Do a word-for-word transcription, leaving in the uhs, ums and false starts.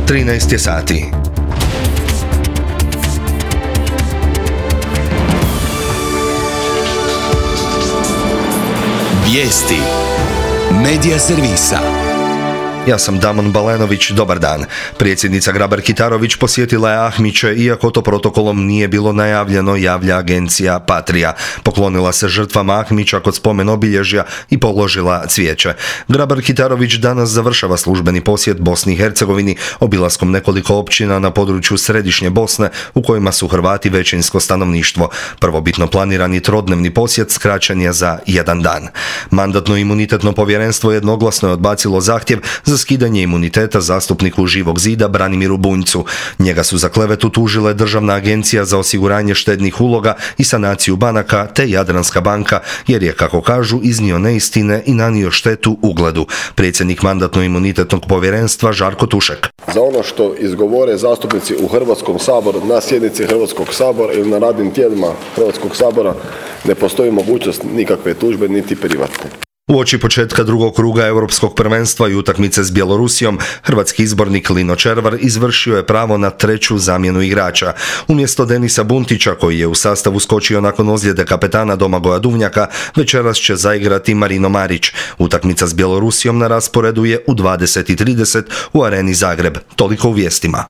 trinaest je sati. Vijesti Medija servisa. Ja sam Damon Balenović, dobar dan. Predsjednica Grabar-Kitarović posjetila je Ahmiće, iako to protokolom nije bilo najavljeno, javlja agencija Patria. Poklonila se žrtvama Ahmića kod spomen obilježja i položila cvijeće. Grabar-Kitarović danas završava službeni posjet Bosni i Hercegovini obilaskom nekoliko općina na području središnje Bosne u kojima su Hrvati većinsko stanovništvo. Prvobitno planirani trodnevni posjet skraćen je za jedan dan. Mandatno-imunitetno povjerenstvo jednoglasno je odbacilo zahtjev za skidanje imuniteta zastupniku Živog zida Branimiru Bunjcu. Njega su za klevetu tužile Državna agencija za osiguranje štednih uloga i sanaciju banaka te Jadranska banka, jer je, kako kažu, iznio neistine i nanio štetu ugledu. Predsjednik Mandatno-imunitetnog povjerenstva Žarko Tušek. Za ono što izgovore zastupnici u Hrvatskom saboru, na sjednici Hrvatskog sabora ili na radnim tijelima Hrvatskog sabora ne postoji mogućnost nikakve tužbe niti privatne. Uoči početka drugog kruga Europskog prvenstva i utakmice s Bjelorusijom, hrvatski izbornik Lino Červar izvršio je pravo na treću zamjenu igrača. Umjesto Denisa Buntića, koji je u sastavu skočio nakon ozljede kapetana Domagoja Duvnjaka, večeras će zaigrati Marino Marić. Utakmica s Bjelorusijom na rasporedu je u dvadeset i trideset u Areni Zagreb. Toliko u vijestima.